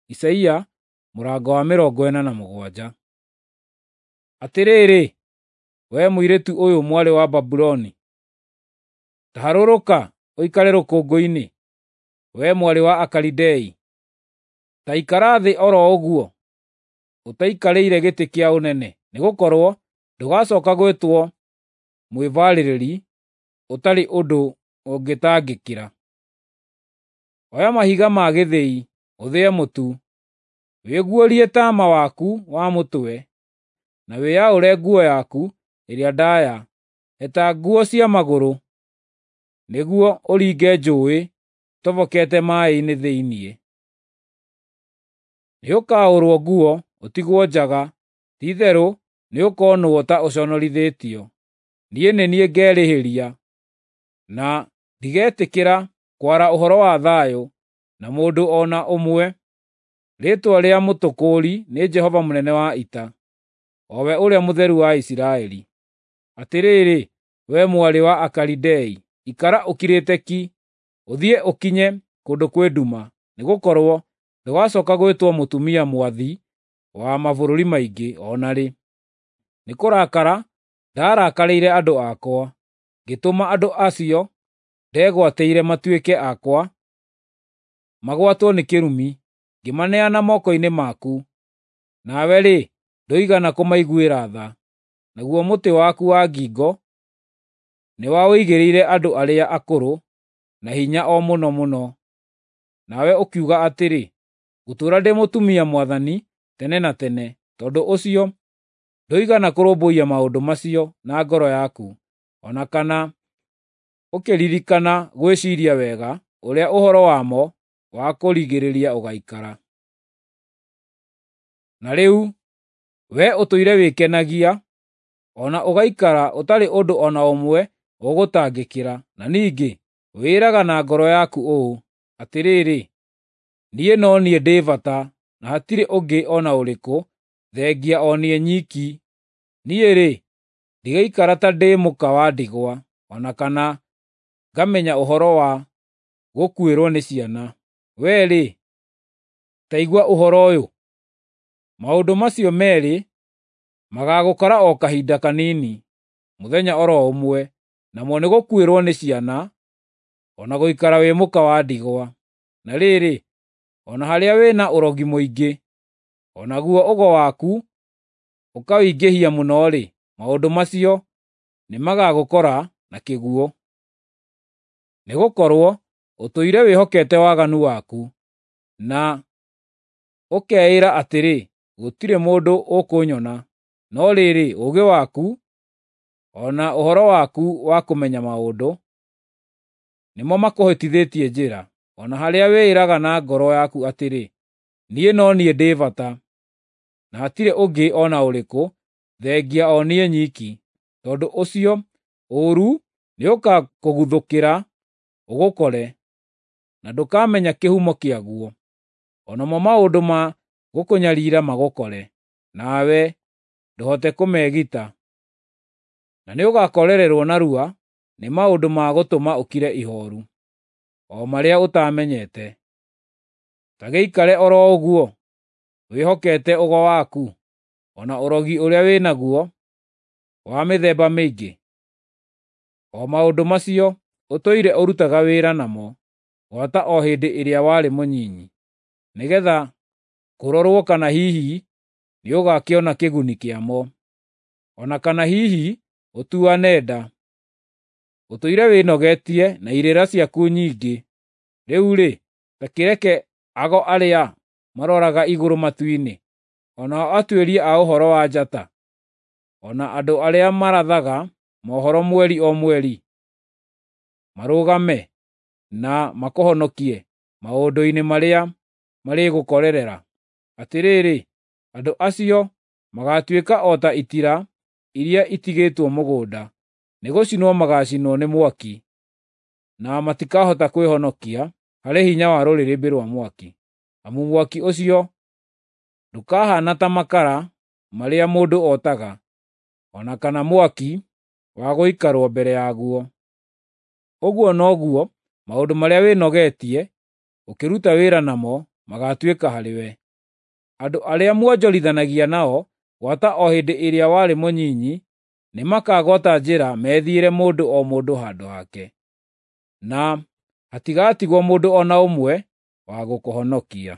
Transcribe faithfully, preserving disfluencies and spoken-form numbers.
Isaia mũrango wa mĩrongo ĩna na mũgwanja. Atĩrĩrĩ, wee mũirĩtu ũyũ mwarĩ wa Babuloni, ta harũrũka ũikare rũkũngũ-inĩ, wee mwarĩ wa Akalidei. Ta ikara thĩ o ro ũguo, ũtaikarĩire gĩtĩ kĩa ũnene, nĩgũkorwo ndũgacooka gwĩtwo mwĩbaarĩrĩri ũtarĩ ũndũ ũngĩtangĩkĩra. Oya mahiga ma gĩthĩi ũthĩe mũtu, wĩguũrie taama waku wa mũtwe, na wĩyaũre nguo yaku ĩrĩa ndaaya. Heta nguo cia magũrũ, nĩguo ũringe njũũĩ ũtobokete maaĩ-inĩ thĩinĩ. Nĩũkaũrwo nguo ũtigwo njaga, ti-itherũ nĩũkonwo ta ũconorithĩtio. Niĩ nĩ niĩ ngerĩhĩria, na ndigetĩkĩra kwara ũhoro wa thayũ na mũndũ o na ũmwe. Rĩĩtwa rĩa Mũtũkũũri nĩ Jehova mũnene wa ita, o we Ũrĩa Mũtheru wa Isiraeli. Atĩrĩrĩ, wee mwarĩ wa Akalidei, ikara ũkirĩte ki, ũthiĩ ũkinye kũndũ kwĩ nduma, nĩgũkorwo ndũgacooka gwĩtwo mũtumia mwathi wa mabũrũri maingĩ o na rĩ. Nĩ kũrakara ndarakarĩire andũ akwa, ngĩtũma andũ acio ndegwatĩire matuĩke akwa magwatwo nĩ kĩrumi, ngĩmaneana moko-inĩ maku. Nawe-rĩ, ndũigana kũmaiguĩra tha. Naguo mũtĩ waku wa ngingo nĩwaũigĩrĩire andũ arĩa akũrũ na hinya o mũno mũno. Nawe ũkiuga atĩrĩ, ‘Ngũtũũra ndĩ mũtumia mwathani tene na tene.’ Tondũ ũcio ndũigana kũrũmbũiya maũndũ macio na ngoro yaku, o na kana ũkĩririkana gwĩciiria wega ũrĩa ũhoro wamo wa kũrigĩrĩria ũgaikara. Na rĩu wee ũtũire wĩkenagia, o na ũgaikara ũtarĩ ũndũ o na ũmwe ũgũtangĩkĩra, na ningĩ wĩĩraga na ngoro yaku ũũ, ‘Atĩrĩrĩ, niĩ no niĩ ndĩ bata, na hatirĩ ũngĩ o na ũrĩkũ thengia o niĩ nyiki. Niĩ-rĩ, ndigaikara ta ndĩ mũka wa ndigwa, o na kana ngamenya ũhoro wa gũkuĩrwo nĩ ciana.’ Wee-rĩ, ta igua ũhoro ũyũ. Maũndũ macio meerĩ magaagũkora o kahinda kanini, mũthenya o ro ũmwe, namo nĩ gũkuĩrwo nĩ ciana, o na gũikara wĩ mũka wa ndigwa. Na rĩrĩ, o na harĩa wĩna ũrogi mũingĩ, o naguo ũgo waku ũkawingĩhia mũno-rĩ, maũndũ macio nĩmagagũkora na kĩguũ. Nĩgũkorwo ũtũire wĩhokete waganu waku, na ũkeĩra atĩrĩ, ‘Gũtirĩ mũndũ ũkũnyona.’ No rĩrĩ, ũũgĩ waku, o na ũhoro waku wa kũmenya maũndũ, nĩmo makũhĩtithĩtie njĩra, o na harĩa wĩĩraga na ngoro yaku atĩrĩ, ‘Niĩ no niĩ ndĩ bata, na hatirĩ ũngĩ o na ũrĩkũ thengia o niĩ nyiki.’ Tondũ ũcio ũũru nĩũgakũguthũkĩra ũgũkore, na ndũkamenya kĩhumo kĩaguo. O namo maũndũ ma gũkũnyariira magũkore, nawe ndũhote kũmegita. Na nĩũgakorererwo narua nĩ maũndũ ma gũtũma ũkire ihooru, o marĩa ũtaamenyete. Ta gĩikare o ro ũguo, wĩhokete ũgo waku, o na ũrogi ũrĩa wĩ naguo wa mĩthemba mĩingĩ, o maũndũ macio ũtũire ũrutaga wĩra namo gwata o hĩndĩ ĩrĩa warĩ mũnyinyi, nĩgeetha kũrorwo kana hihi nĩũgakĩona kĩguni kĩamo, o na kana hihi ũtuane nda. Ũtũire wĩnogetie na irĩra ciaku nyingĩ. Rĩu-rĩ, ta kĩreke ago arĩa maroraga igũrũ matu-inĩ, o nao atuĩria a ũhoro wa njata, o na andũ arĩa marathaga mohoro mweri o mweri, marũgame na makũhonokie maũndũ-inĩ marĩa marĩgũkorerera. Atĩrĩrĩ, andũ acio magaatuĩka o ta itira iria itigĩtwo mũgũnda, nĩgũcinwo magaacinwo nĩ mwaki, na matikahota kwĩhonokia harĩ hinya wa rũrĩrĩmbĩ rwa mwaki. Amu mwaki ũcio ndũkahaana ta makara marĩa mũndũ otaga, o na kana mwaki wa gũikarwo mbere yaguo. Ũguo noguo maũndũ marĩa wĩnogetie ũkĩruta wĩra namo magaatuĩka harĩwe. Andũ arĩa muonjorithanagia nao gwata o hĩndĩ ĩrĩa warĩ mũnyinyi nĩmakagwata njĩra methiĩre mũndũ o mũndũ handũ hake, na hatigatigwo mũndũ o na ũmwe wa gũkũhonokia.